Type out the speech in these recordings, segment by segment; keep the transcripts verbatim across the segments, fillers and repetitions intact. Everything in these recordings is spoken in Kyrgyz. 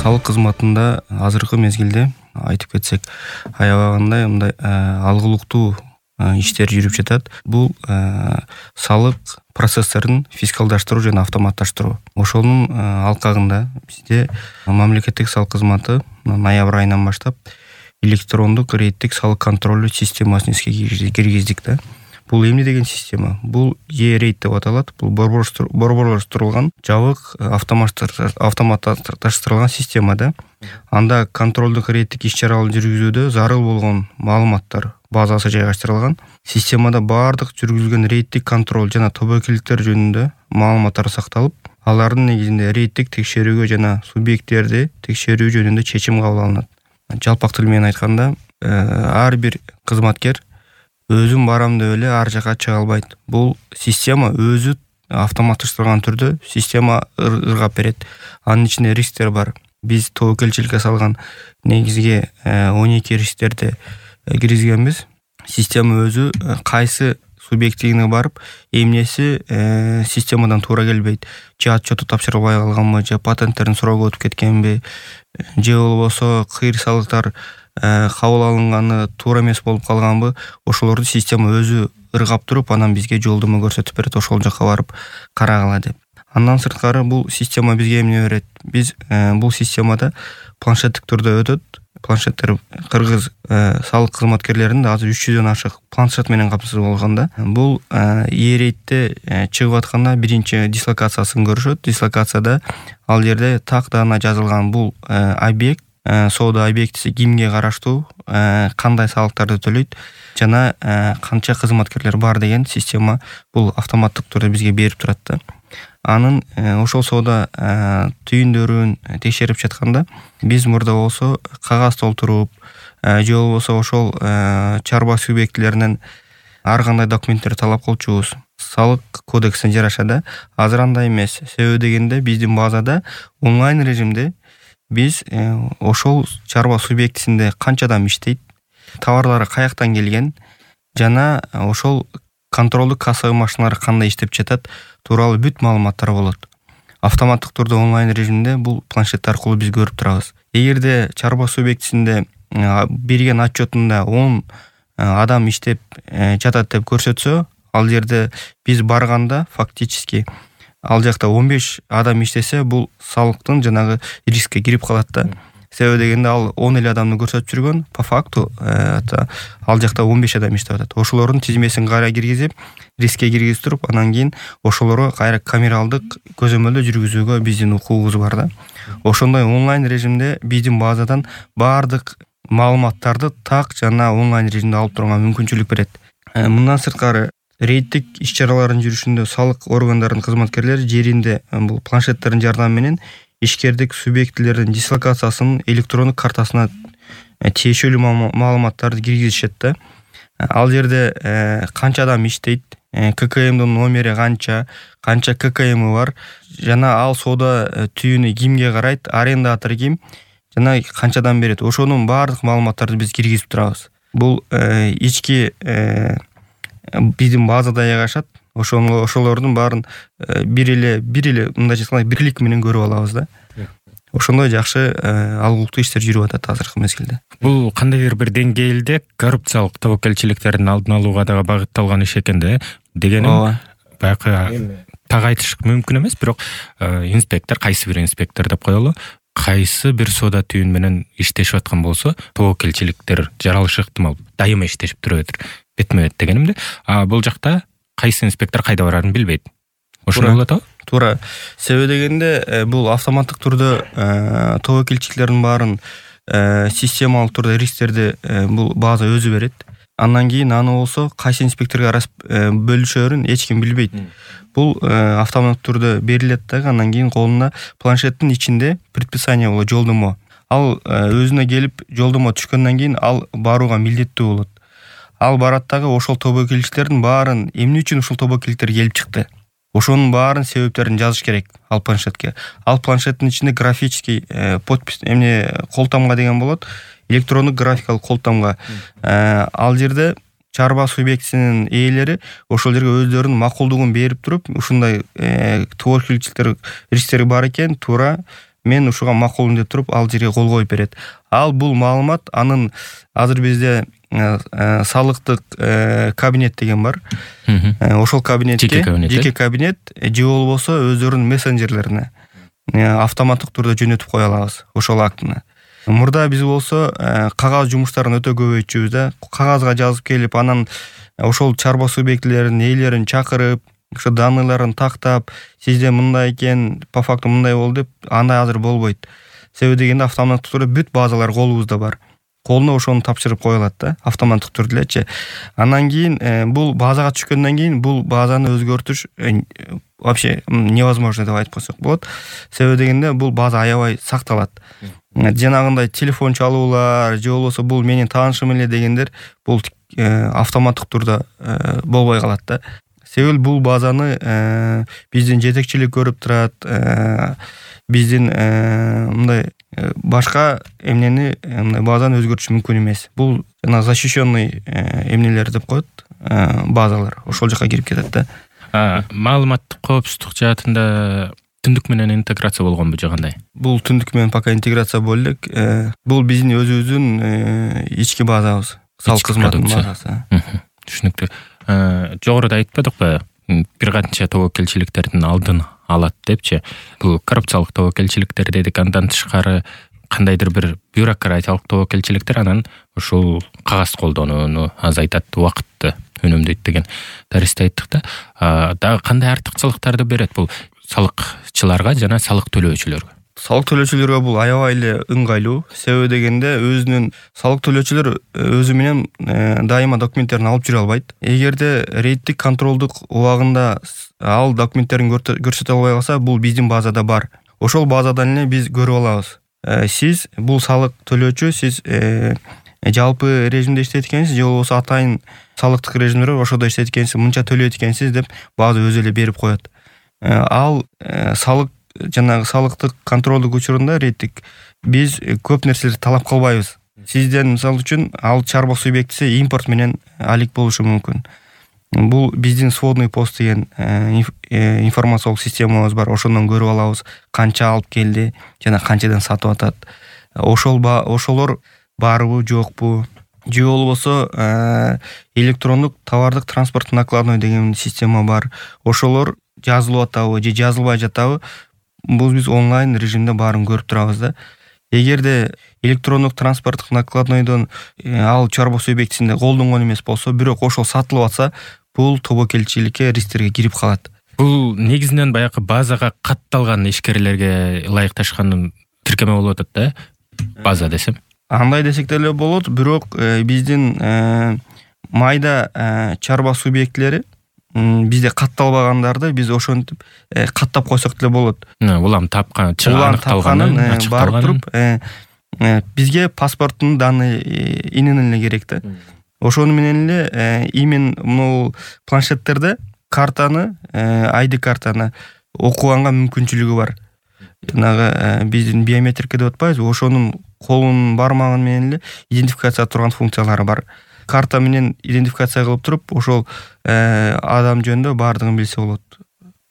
салык кызматында азыркы мезгилде айтып кетсек аябагандай мындай алгылыктуу иштер жүрүп жатат. Бул салык процесстерин фискалдаштыруу жана автоматташтыруу. Ошонун алкагында бизде мамлекеттик салык кызматы ноябрь айынан баштап электрондук рейдтик салык контролу системасын иске киргиздик да. Бул эмне деген система? Бул E-рейд деп аталат. Бул борборлоштурулган жабык автоматташтырылган система да. Анда контролдук рейдтик иш-чараларды жүргүзүүдө зарыл болгон маалыматтар базасы жайгаштырылган. Системада бардык жүргүзүлгөн рейдтик контроль жана тобокелдиктер жөнүндө маалыматтар сакталып, алардын негизинде рейдтик текшерүүгө жана субъекттерди текшерүү жөнүндө чечим кабыл алынат. Жалпак тил менен айтканда, ар бир кызматкер өзүм барам деп эле ар жака чыга албайт. Бул система өзү автоматташтырылган түрдө система ыргап берет. Анын ичинде рисктер бар. Биз тобокелчиликке салган негизги он эки рисктерди киргизгенбиз. Система өзү кайсы субъектине барып, эмнеси системадан туура келбейт. Же отчету тапшырылбай калганбы, же патенттерин суроого өтүп кеткенби, же болбосо кыйыр салыктар кабыл алынганы туура эмес болуп калганбы, ошолорду система өзү ыргап туруп, анан бизге жолдомо көрсөтүп берет, ошол жака барып карагыла деп. Андан сырткары бул система бизге эмне берет? Биз бул системада планшеттик түрдө өтөт. Планшеттер кыргыз салык кызматкерлеринин азыр үч жүздөн ашык планшет менен камсыз болгондо. Бул E-рейдте чыгып атканда биринчи дислокациясын көрүшөт. Дислокацияда ал жерде так даана жазылган бул объект, соода объектиси кимге караштуу, кандай салыктарды төлөйт жана канча кызматкерлер бар деген система бул автоматтык түрдө бизге берип турат да. Анын ошол соода түйүндөрүн текшерип жатканда биз мурда болсо кагаз толтуруп, же болбосо ошол чарба субъектилеринен ар кандай документтерди талап кылчубуз. Салык кодексине жараша да. Азыр андай эмес. Себеби дегенде биздин базада онлайн режимде биз ошол чарба субъектисинде канча адам иштейт, товарлары каяктан келген жана ошол контролдук кассовый машиналар кандай иштеп жатат тууралуу бүт маалыматтар болот. Автоматтык түрдө онлайн режимде бул планшет аркылуу биз көрүп турабыз. Эгерде чарба субъектисинде берген отчетунда он адам иштеп жатат деп көрсөтсө, ал жерде биз барганда фактически ал жакта он беш адам иштесе, бул салыктын жанагы рискке кирип калат да. Себеби дегенде ал он эле адамды көрсөтүп жүргөн, по факту ал жакта он беш адам иштеп атат. Ошолордун тизмесин кайра киргизип, рискке киргизип туруп, анан кийин ошолорго кайра камералдык көзөмөлдө жүргүзүүгө биздин укугубуз бар да. Ошондой онлайн режимде биздин базадан бардык маалыматтарды так жана онлайн режимде алып турганга мүмкүнчүлүк берет. Мындан сырткары рейдтик иш-чаралардын жүрүшүндө салык органдарынын кызматкерлери жеринде бул планшеттердин жардамы менен ишкердик субъектилердин дислокациясынын электрондук картасына тиешелүү маалыматтарды киргизишет да. Ал жерде канча адам иштейт, ККМдин номери канча, канча ККМ бар, жана ал соода түйүнү кимге карайт, арендатор ким, жана канчадан берет. Ошонун бардык маалыматтарды биз киргизип турабыз. Бул ички биздин базада жайгашат. Ошону ошолордун баарын бир эле бир эле мындай айтканда бирлик менен көрүп алабыз да. Ошондой жакшы алгылыктуу иштер жүрүп атат азыркы мезгилде. Бул кандайдыр бир деңгээлде коррупциялык тобокелчиликтердин алдын алууга дагы багытталган иш экен да. Дегеним баягы так айтыш мүмкүн эмес, бирок инспектор, кайсы бир инспектор деп коелу, кайсы бир соода түйүн менен иштешип аткан болсо, тобокелчиликтер жаралышы ыктымал. Дайыма иштешип турат бетме-бет дегенимде. А бул жакта кайсы инспектор кайда барарын билбейт. Ошондой болот атабы? Туура. Себеби дегенде бул автоматтык түрдө тобокелчиликтердин баарын системалык түрдө рисктерди бул база өзү берет. Андан кийин аны болсо кайсы инспекторго бөлүшөрүн эч ким билбейт. Бул автоматтык түрдө берилет да, андан кийин колуна планшеттин ичинде предписание болот, жолдомо. Ал өзүнө келип жолдомо түшкөндөн кийин ал барууга милдеттүү болот. Ал барат дагы ошол тобокелчиликтердин баарын эмне үчүн ушул тобокелчиликтер келип чыкты, ошонун баарын себептерин жазыш керек ал планшетке. Ал планшеттин ичинде графический подпись эмне колтамга деген болот, электрондук графикалык колтамга. Ал жерде чарба субъектисинин ээлери ошол жерге өздөрүнүн макулдугун берип туруп, ушундай тобокелчиликтер рисктери бар экен, туура мен ушуга макулмун деп туруп ал жерге кол коюп берет. Ал бул маалымат анын азыр бизде салыктык кабинет деген бар. Ошол кабинетке жеке кабинет же болбосо өздөрүнүн мессенджерлерине автоматтык түрдө жөнөтүп кое алабыз ошол актыны. Мурда биз болсо кагаз жумуштарын өтө көбөйтчүбүз да. Кагазга жазып келип, анан ошол чарба субъектилерин ээлерин чакырып, ошо данныйларын тактап, сизде мындай экен, по факту мындай болду деп, андай азыр болбойт. Себеби дегенде автоматтык түрдө бүт базалар колубузда бар. Колуна ошону тапшырып коюлат да, автоматтык түрдө элечи. Андан кийин бул базага түшкөндөн кийин бул базаны өзгөртүш вообще невозможно деп айтып койсок болот. Себеби дегенде бул база аябай сакталат. Жанагындай телефон чалуулар, же болбосо бул менин таанышым эле дегендер бул автоматтык түрдө болбой калат да. Себеби бул базаны биздин жетекчилик көрүп турат, биздин мындай башка эмнени мындай базаны өзгөртүш мүмкүн эмес. Бул жана защищенный эмнелер деп коет, базалар ошол жака кирип кетет да. Маалыматтык коопсуздук жаатында түндүк менен интеграция болгонбу же кандай? Бул түндүк менен пока интеграция боло элек. Бул биздин өзүбүздүн ички базабыз, салык кызматынын базасы. Түшүнүктүү. Жогоруда айтпадыкпы, бир канча тобокелчиликтердин алдын алат депчи. Бул коррупциялык тобокелчиликтер дедик, андан тышкары кандайдыр бир бюрократиялык тобокелчиликтер анан ушул кагаз колдонууну азайтат, убакытты үнөмдөйт деген даристе айттык да. Дагы кандай артыкчылыктарды берет бул салыкчыларга жана салык төлөөчүлөргө? Салык төлөөчүлөргө бул аябай эле ыңгайлуу. Себеби дегенде өзүнүн салык төлөөчүлөр өзү менен дайыма документтерин алып жүрө албайт. Эгерде рейдтик контролдук убагында ал документтерин көрсөтө албай калса, бул биздин базада бар. Ошол базадан эле биз көрүп алабыз. Сиз бул салык төлөөчү, сиз жалпы режимде иштейт экенсиз, же болбосо атайын салыктык режимдер ошодо иштейт экенсиз, мынча төлөйт экенсиз деп база өзү эле берип коет. Ал салык жанагы салыктык контролдук учурунда рейдтик биз көп нерселерди талап кылбайбыз. Сизден мисалы үчүн ал чарба субъектиси импорт менен алек болушу мүмкүн. Бул биздин сводный пост деген информациялык системабыз бар. Ошондон көрүп алабыз канча алып келди жана канчадан сатып атат. Ошол ошолор барбы, жокпу? Же болбосо электрондук товардык транспорт накладной деген система бар. Ошолор жазылып атабы же жазылбай жатабы? Бул биз онлайн режимде баарын көрүп турабыз да. Эгерде электрондук транспорттук накладнойдон ал чарба субъектисинде колдонгон эмес болсо, бирок ошол сатылып атса, бул тобокелчиликке, рисктерге кирип калат. Бул негизинен баягы базага катталган ишкерлерге ылайыкташкан тиркеме болуп атат да, база десем. Андай десек деле болот, бирок биздин майда чарба субъектилери бизде катталбагандарды биз ошентип каттап койсок деле болот. Улам тапкан, аныкталганын барып туруп бизге паспорттун данные инен эле керек да. Ошону менен эле имен могу планшеттерде картаны, ай ди картаны окуганга мүмкүнчүлүгү бар. Жанагы биздин биометрика деп атпайбызбы, ошонун колунун бармагы менен эле идентификация турган функциялары бар. Карта менен идентификация кылып туруп, ошол адам жөнүндө баардыгын билсе болот.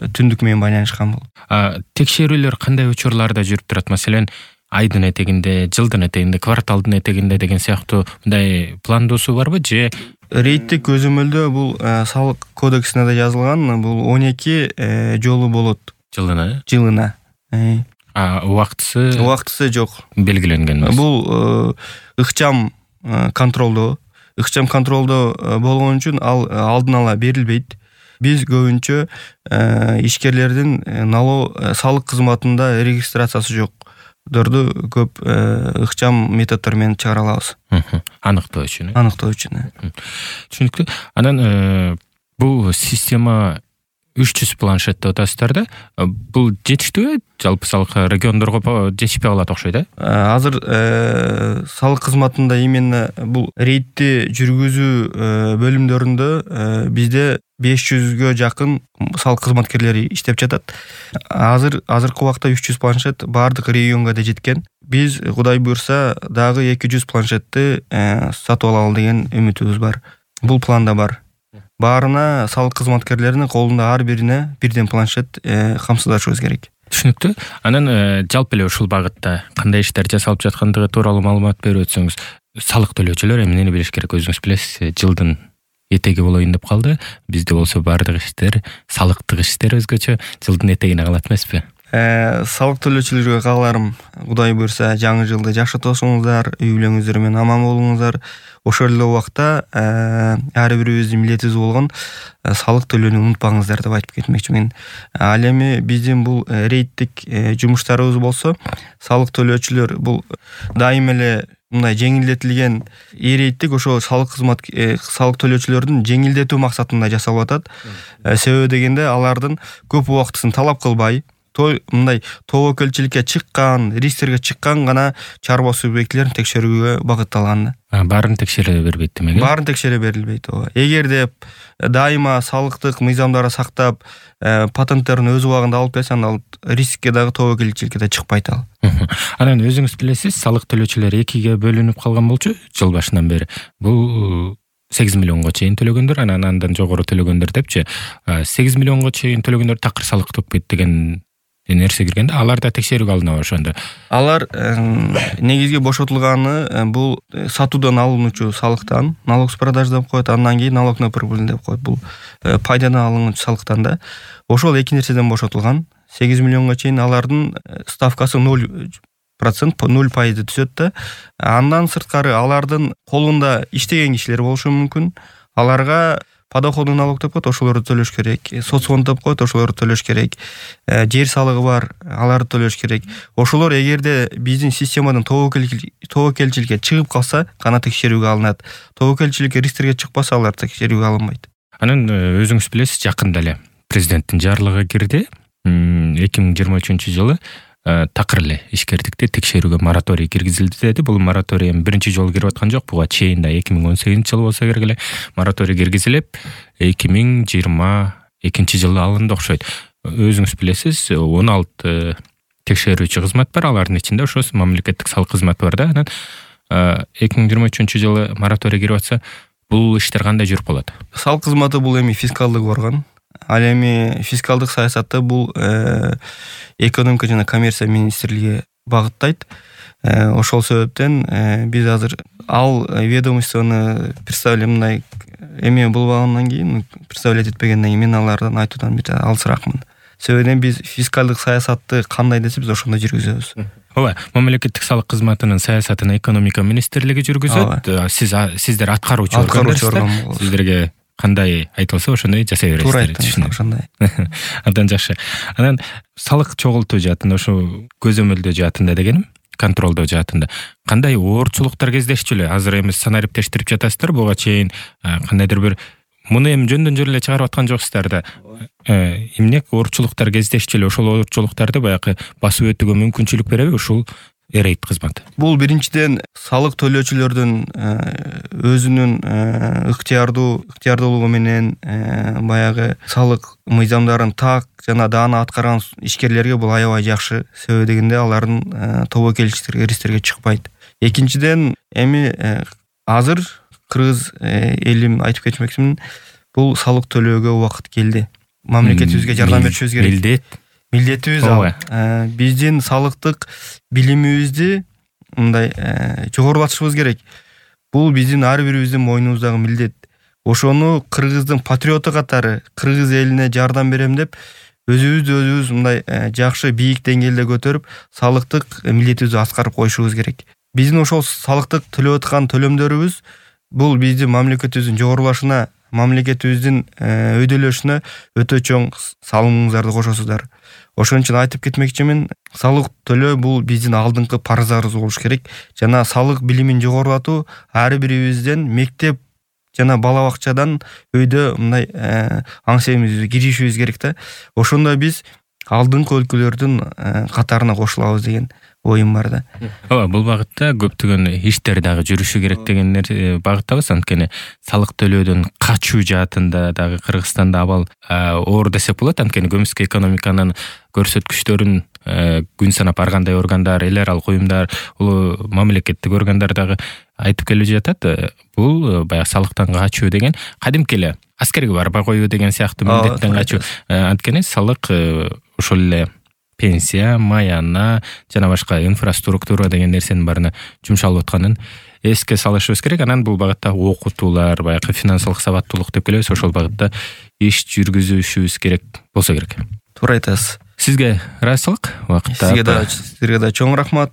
Түндүк менен байланышкан болот. Текшерүүлөр кандай учурларда жүрүп турат? Маселен, айдын этегинде, жылдын этегинде, кварталдын этегинде деген сыяктуу мындай пландоосу барбы же? Рейдтик көзөмөлдөө бул салык кодексине да жазылган, бул он эки жолу болот. Жылына? Жылына. А убактысы? Убактысы жок. Белгиленген эмес. Бул ыкчам контролдоо. Ыкчам контролдоо болгон үчүн ал алдын ала берилбейт. Биз көбүнчө ишкерлердин налог салык кызматында регистрациясы жокдорду көп ыкчам методдор менен чыгара алабыз. Аныктоо үчүн. Аныктоо үчүн. Түшүнүктүү. Анан бул система үч жүз планшет деп атасыздар да. Бул жетиштүүбү? Жалпы салык региондорго жетишпей калат окшойт, э? Азыр салык кызматында именно бул рейдти жүргүзүү бөлүмдөрүндө бизде беш жүзгө жакын салык кызматкерлери иштеп жатат. Азыр азыркы убакта үч жүз планшет баардык регионго да жеткен. Биз Кудай буйрса дагы эки жүз планшетти сатып алалы деген үмүтүбүз бар. Бул планда бар. Баарына салык кызматкерлеринин колунда ар бирине бирден планшет камсыздашыбыз керек. Түшүнүктүү. Анан жалпы эле ушул багытта кандай иштер жасалып жаткандыгы тууралуу маалымат берип өтсөңүз. Салык төлөөчүлөр эмнени билиш керек? Өзүңүз билесиз, жылдын этеги болоюн деп калды. Бизде болсо баардык иштер, салыктык иштер өзгөчө жылдын этегине калат эмеспи? Салык төлөөчүлөргө кааларым, Кудай буйрса, жаңы жылды жакшы тосуңуздар, үй бүлөңүздөр менен аман болуңуздар. Ошол эле убакта ар бирибиздин милдетибиз болгон салык төлөөнү унутпаңыздар деп айтып кетмекчимин. Ал эми биздин бул рейдтик жумуштарыбыз болсо, салык төлөөчүлөр бул дайым эле мындай жеңилдетилген рейдтик ошо салык кызмат салык төлөөчүлөрдүн жеңилдетүү максатында жасалып атат. Себеби дегенде алардын көп убактысын талап кылбай, той мындай тобокелчиликке чыккан, рисктерге чыккан гана чарба субъектилерин текшерүүгө багытталган. Баарын текшере бербейт демек. Баарын текшере берилбейт. Эгерде дайыма салыктык мыйзамдарды сактап, патенттерин өз убагында алып келсе, анда рискке дагы тобокелчиликке да чыкпайт ал. Анан өзүңүз билесиз, салык төлөөчүлөр экиге бөлүнүп калган болчу жыл башынан бери. Бул сегиз миллионго чейин төлөгөндөр, анан андан жогору төлөгөндөр депчи. сегиз миллионго чейин төлөгөндөр такыр салык төкпөйт деген нерсе киргенде, алар да текшерүүгө алынабы ошондо? Алар негизги бошотулганы бул сатуудан алынуучу салыктан, налог с продаж деп коет, андан кийин налог на прибыль деп коет. Бул пайдадан алынуучу салыктан да. Ошол эки нерседен бошотулган. сегиз миллионго чейин алардын ставкасы ноль процент, ноль пайызды түзөт да. Андан сырткары алардын колунда иштеген кишилер болушу мүмкүн. Аларга подоходный налог деп коет, ошолорду төлөш керек. Соцфонд деп коет, ошолорду төлөш керек. Жер салыгы бар, аларды төлөш керек. Ошолор эгерде биздин системадан тобокелчиликке чыгып калса, гана текшерүүгө алынат. Тобокелчиликке рисктерге чыкпаса, алар текшерүүгө алынбайт. Анан өзүңүз билесиз, жакында эле президенттин жарлыгы кирди. эки миң жыйырма үчүнчү жылы такыр эле ишкердикти текшерүүгө мораторий киргизилди деди. Бул мораторий биринчи жолу кирип аткан жок. Буга чейин да эки миң он сегизинчи жыл болсо керек эле мораторий киргизилип, эки миң жыйырма экинчи жылы алынды окшойт. Өзүңүз билесиз, он алты текшерүүчү кызмат бар, алардын ичинде ошо мамлекеттик салык кызматы бар да. Анан эки миң жыйырма үчүнчү жылы мораторий кирип атса, бул иштер кандай жүрүп калат? Салык кызматы бул эми фискалдык орган. Ал эми фискалдык саясатты бул экономика жана коммерция министрлиги багыттайт. Ошол себептен биз азыр ал ведомствону представлять мындай эме болбагандан кийин, представлять этпегенден кийин мен алардан айтуудан бир алысыракмын. Себеби биз фискалдык саясатты кандай десе биз ошондой жүргүзөбүз. Ооба, мамлекеттик салык кызматынын саясатын экономика министрлиги жүргүзөт. Сиз сиздер аткаруучу органдарсыздар. Сиздерге кандай айтылса ошондой жасай бересиздер. Туура айттыңыз, ошондой. Абдан жакшы. Анан салык чогултуу жаатында, ошо көзөмөлдөө жаатында дегеним, контролдоо жаатында кандай оорчулуктар кездешчү эле? Азыр эми санариптештирип жатасыздар, буга чейин кандайдыр бир муну эми жөндөн жөн эле чыгарып аткан жоксуздар да. Эмне оорчулуктар кездешчү эле? Ошол оорчулуктарды баягы басып өтүүгө мүмкүнчүлүк береби ушул рейд кызматы? Бул биринчиден салык төлөөчүлөрдүн өзүнүн ыктыярдуу ыктыярдуулугу менен баягы салык мыйзамдарын так жана даана аткарган ишкерлерге бул аябай жакшы. Себеби дегенде алардын тобокелчиликтерге рисктерге чыкпайт. Экинчиден эми азыр кыргыз элим айтып кетмекчимин, бул салык төлөөгө убакыт келди. Мамлекетибизге жардам беришибиз керек. Милдет Милдетибиз ал. Биздин салыктык билимибизди мындай жогорулатышыбыз керек. Бул биздин ар бирибиздин мойнубуздагы милдет. Ошону кыргыздын патриоту катары кыргыз элине жардам берем деп өзүбүздү өзүбүз мындай жакшы бийик деңгээлде көтөрүп, салыктык милдетибизди аткарып коюшубуз керек. Биздин ошол салыктык төлөп аткан төлөмдөрүбүз бул биздин мамлекетибиздин жогорулашына, мамлекетибиздин өйдөлөшүнө өтө чоң салымыңыздарды кошосуздар. Ошон үчүн айтып кетмекчимин, салык төлөө бул биздин алдыңкы парыздарыбыз болуш керек. Жана салык билимин жогорулатуу ар бирибизден мектеп жана бала бакчадан өйдө мындай аң семизибизди киришибиз керек да. Ошондо биз алдыңкы өлкөлөрдүн катарына кошулабыз деген оюм бар да. Ооба, бул багытта көптөгөн иштер дагы жүрүшү керек деген багыттабыз. Анткени салык төлөөдөн качуу жаатында дагы Кыргызстанда абал оор десек болот. Анткени көмүскө экономиканын көрсөткүчтөрүн күн санап ар кандай органдар, эл аралык уюмдар, улуу мамлекеттик органдар дагы айтып келип жатат. Бул баягы салыктан качуу деген кадимки эле аскерге барбай коюу деген сыяктуу милдеттен качуу. Анткени салык ошол эле пенсия, маяна жана башка инфраструктура деген нерсенин баарына жумшалып атканын эске салышыбыз керек. Анан бул багытта окутуулар, баягы финансылык сабаттуулук деп келебиз, ошол багытта иш жүргүзүшүбүз керек болсо керек. Туура айтасыз. Сизге ыраазычылык убакытта. Сизге да сизге да чоң рахмат.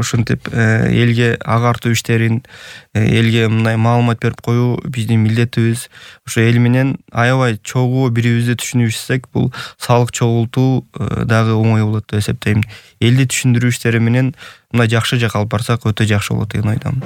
Ушинтип элге агартуу иштерин, элге мындай маалымат берип коюу биздин милдетибиз. Ошо эл менен аябай чогуу бири-бирибизди түшүнүшсек, бул салык чогултуу дагы оңой болот деп эсептейм. Элди түшүндүрүү иштери менен мындай жакшы жакка алып барсак өтө жакшы болот деген ойдомун.